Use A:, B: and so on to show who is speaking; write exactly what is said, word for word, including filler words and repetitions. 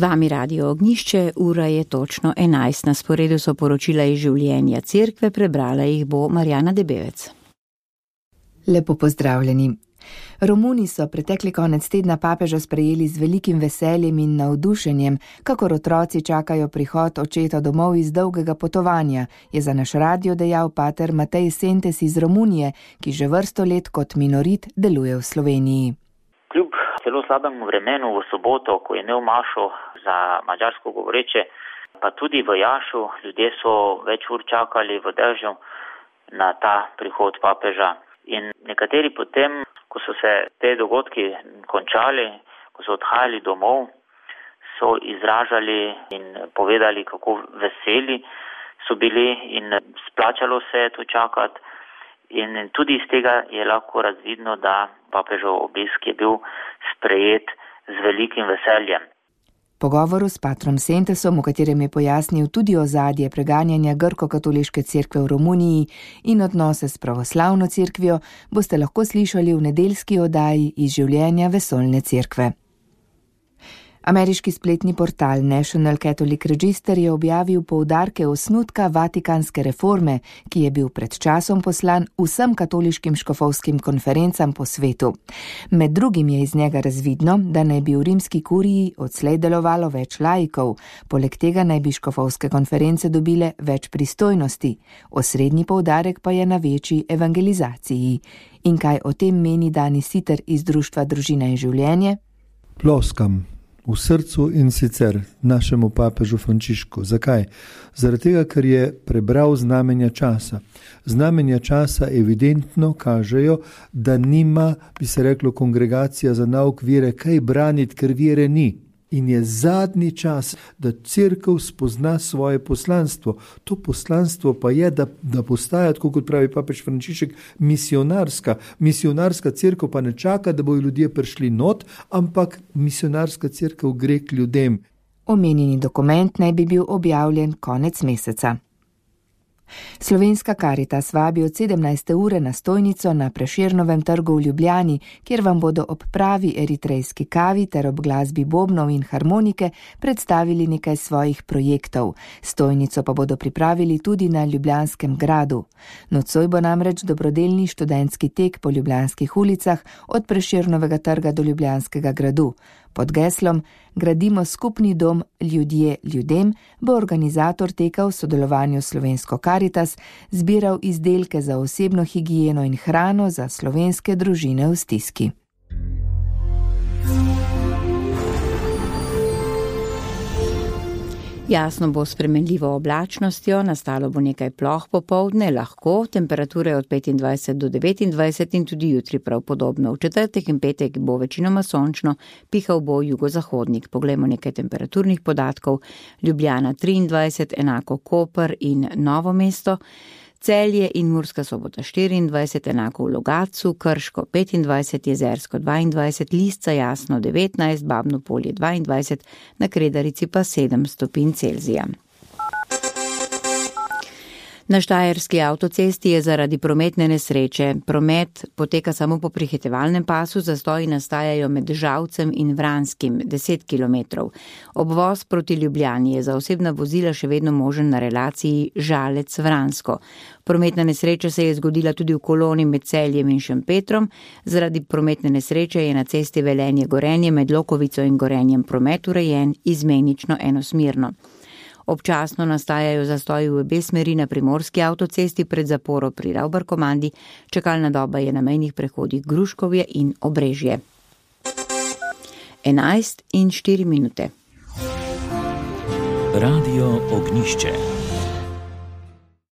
A: vami Radio Ognjišče, ura je točno enajst. Na sporedu so poročila iz življenja cerkve, prebrala jih bo Marjana Debevec.
B: Lepo pozdravljeni. Romuni so pretekli konec tedna papeža sprejeli z velikim veseljem in navdušenjem, kakor otroci čakajo prihod očeta domov iz dolgega potovanja, je za naš radio dejal pater Matej Sentes iz Romunije, ki že vrsto let kot minorit deluje v Sloveniji.
C: Kljub zelo slabemu vremenu v soboto, ko je imel mašo za madžarsko govoreče, pa tudi v Jašu, ljudje so več ur čakali v dežju na ta prihod papeža. In nekateri potem, ko so se te dogodki končali, ko so odhajali domov, so izražali in povedali, kako veseli so bili in splačalo se je to čakati. In tudi iz tega je lahko razvidno, da papežov obisk je bil sprejet z velikim veseljem.
B: Pogovoru s patrom Sentesom, v katerem je pojasnil tudi ozadje preganjanja grko-katoliške cerkve v Romuniji in odnose s pravoslavno cerkvijo, boste lahko slišali v nedeljski oddaji iz življenja vesoljne cerkve. Ameriški spletni portal National Catholic Register je objavil poudarke osnutka vatikanske reforme, ki je bil pred časom poslan vsem katoliškim škofovskim konferencam po svetu. Med drugim je iz njega razvidno, da naj bi v rimski kuriji odslej delovalo več laikov, poleg tega naj bi škofovske konference dobile več pristojnosti. Osrednji poudarek pa je na večji evangelizaciji. In kaj o tem meni Dani Siter iz Društva Družina in življenje?
D: Ploskam v srcu in sicer našemu papežu Frančišku. Zakaj? Zaradi tega, ker je prebral znamenja časa. Znamenja časa evidentno kažejo, da nima, bi se reklo, kongregacija za nauk vere kaj braniti, ker vere ni. In je zadnji čas, da cerkev spozna svoje poslanstvo. To poslanstvo pa je, da, da postaja, tako kot pravi papež Frančišek, misionarska. Misionarska cerkev pa ne čaka, da bojo ljudje prišli not, ampak misionarska cerkev gre k ljudem.
B: Omenjeni dokument naj bi bil objavljen konec meseca. Slovenska Karitas vabi od sedemnajste ure na stojnico na Prešernovem trgu v Ljubljani, kjer vam bodo ob pravi eritrejski kavi ter ob glasbi bobnov in harmonike predstavili nekaj svojih projektov. Stojnico pa bodo pripravili tudi na Ljubljanskem gradu. Nocoj bo namreč dobrodelni študentski tek po ljubljanskih ulicah od Prešernovega trga do Ljubljanskega gradu. Pod geslom Gradimo skupni dom ljudje ljudem bo organizator teka v sodelovanju s Slovensko Karitas zbiral izdelke za osebno higieno in hrano za slovenske družine v stiski.
A: Jasno bo s spremenljivo oblačnostjo, nastalo bo nekaj ploh popoldne, lahko, temperature od petindvajset do devetindvajset in tudi jutri prav podobno. V četrtek in petek bo večinoma sončno, pihal bo jugozahodnik. Poglejmo nekaj temperaturnih podatkov. Ljubljana triindvajset, enako Koper in Novo mesto. Celje in Murska Sobota štiriindvajset, enako v Logatcu, Krško petindvajset, Jezersko dvaindvajset, Lisca Jasno devetnajst, Babno Polje dvaindvajset, na Kredarici pa sedem stopinj Celzija. Na Štajerski avtocesti je zaradi prometne nesreče. Promet poteka samo po prehitevalnem pasu, zastoji nastajajo med Žalcem in Vranskim, deset kilometrov. Obvoz proti Ljubljani je za osebna vozila še vedno možen na relaciji Žalec-Vransko. Prometna nesreča se je zgodila tudi v koloni med Celjem in Šempetrom. Zaradi prometne nesreče je na cesti Velenje-Gorenje med Lokovico in Gorenjem promet urejen izmenično enosmerno. Občasno nastajajo zastoji v obe smeri na primorski avtocesti pred zaporo pri Ravbarkomandi, čakalna doba je na mejnih prehodih Gruškovje in Obrežje. enajst in štiri minute.
E: Radio Ognjišče.